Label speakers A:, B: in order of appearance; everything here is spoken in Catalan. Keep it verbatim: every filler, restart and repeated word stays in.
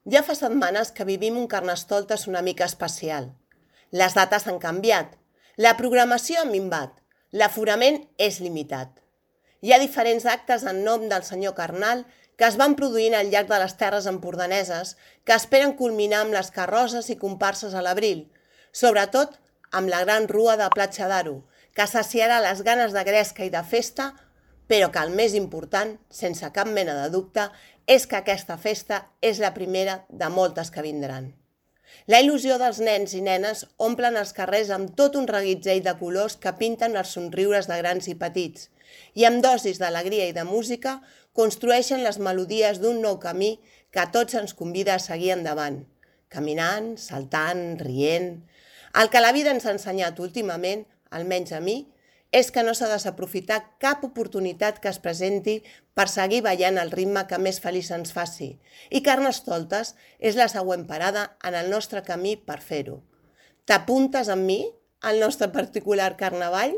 A: Ja fa setmanes que vivim un Carnestoltes una mica especial. Les dates han canviat, la programació ha minvat, l'aforament és limitat. Hi ha diferents actes en nom del senyor Carnal que es van produint al llarg de les terres empordaneses que esperen culminar amb les carrosses i comparses a l'abril, sobretot amb la gran rua de Platja d'Aro, que saciarà les ganes de gresca i de festa, però que el més important, sense cap mena de dubte, és que aquesta festa és la primera de moltes que vindran. La il·lusió dels nens i nenes omplen els carrers amb tot un reguitzell de colors que pinten els somriures de grans i petits i amb dosis d'alegria i de música construeixen les melodies d'un nou camí que a tots ens convida a seguir endavant, caminant, saltant, rient. El que la vida ens ha ensenyat últimament, almenys a mi, és que no s'ha de desaprofitar cap oportunitat que es presenti per seguir ballant el ritme que més feliç ens faci, i Carnestoltes és la següent parada en el nostre camí per fer-ho. T'apuntes amb mi al nostre particular carnaval?